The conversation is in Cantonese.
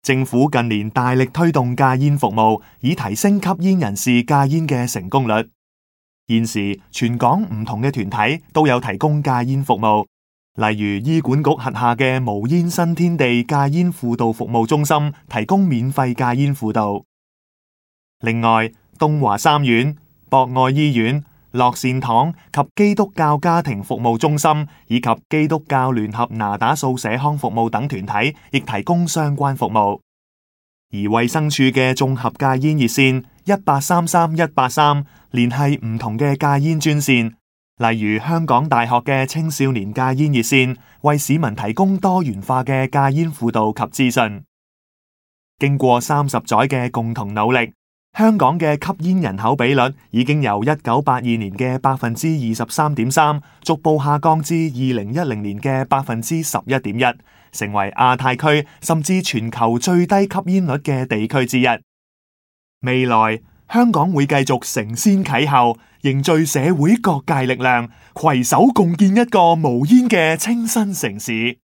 政府近年大力推動戒煙服務，以提升吸煙人士戒煙嘅成功率。現時全港唔同嘅團體都有提供戒煙服務，例如醫管局轄下嘅無煙新天地戒煙輔導服務中心提供免費戒煙輔導。另外，東華三院、博愛醫院、樂善堂及基督教家庭服務中心以及基督教聯合那打素社康服務等團體亦提供相關服務。而衛生署嘅綜合戒煙熱線1833-183聯繫唔同嘅戒煙專線，例如香港大學嘅青少年戒煙熱線，為市民提供多元化嘅戒煙輔導及資訊。經過30載嘅共同努力，香港嘅吸煙人口比率已經由1982年嘅23.3%逐步下降至2010年嘅11.1%，成為亞太區甚至全球最低吸煙率嘅地區之一。未來香港會繼續承先啟後，凝聚社會各界力量，攜手共建一個無煙嘅清新城市。